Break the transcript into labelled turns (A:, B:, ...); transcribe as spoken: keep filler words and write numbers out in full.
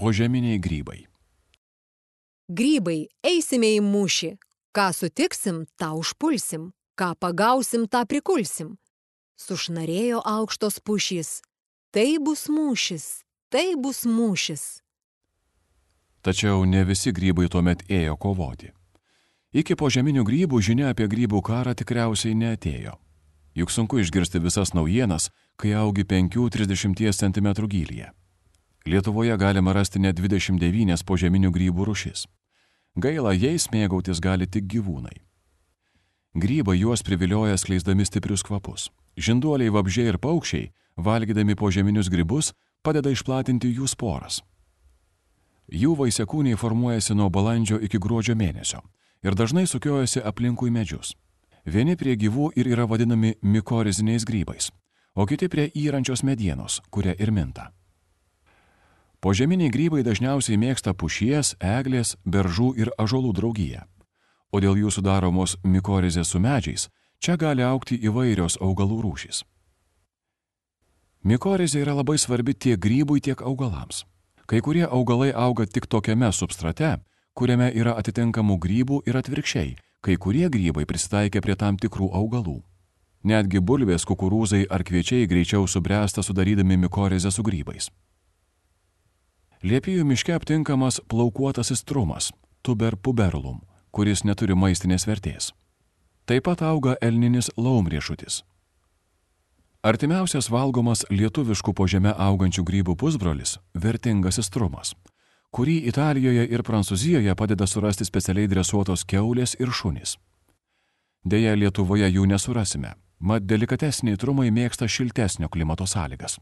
A: Požeminiai grybai.
B: Grybai, eisime į mūšį. Ką sutiksim, tą užpulsim. Ką pagausim, tą prikulsim. Sušnarėjo aukštos pušys. Tai bus mūšis, tai bus mūšis.
A: Tačiau ne visi grybai tuomet ėjo kovoti. Iki požeminių grybų žinia apie grybų karą tikriausiai neatėjo. Juk sunku išgirsti visas naujienas, kai augi penkių trisdešimties centimetrų gylyje. Lietuvoje galima rasti net dvidešimt devynias požeminių grybų rūšis. Gaila, jais mėgautis gali tik gyvūnai. Grybai juos privilioja skleisdami stiprius kvapus. Žinduoliai, vabzdžiai ir paukščiai, valgydami požeminius grybus, padeda išplatinti jų sporas. Jų vaisiakūniai formuojasi nuo balandžio iki gruodžio mėnesio ir dažnai sukiojasi aplinkui medžius. Vieni prie gyvų ir yra vadinami mikoriziniais grybais, o kiti prie yrančios medienos, kuria ir minta. Požeminiai grybai dažniausiai mėgsta pušies, eglės, beržų ir ąžuolų draugiją, o dėl jų sudaromos mikorizės su medžiais čia gali augti įvairios augalų rūšys. Mikorizė yra labai svarbi tiek grybui, tiek augalams. Kai kurie augalai auga tik tokiame substrate, kuriame yra atitinkamų grybų ir atvirkščiai, kai kurie grybai prisitaikia prie tam tikrų augalų. Netgi bulvės, kukurūzai ar kviečiai greičiau subręsta sudarydami mikorizę su grybais. Liepijų miške aptinkamas plaukuotasis trumas, tuber puberlum, kuris neturi maistinės vertės. Taip pat auga elninis laumriešutis. Artimiausias valgomas lietuviškų po žeme augančių grybų pusbrolis – vertingasis trumas, kurį Italijoje ir Prancūzijoje padeda surasti specialiai dresuotos kiaulės ir šunys. Deja, Lietuvoje jų nesurasime, mat delikatesniai trumai mėgsta šiltesnio klimato sąlygas.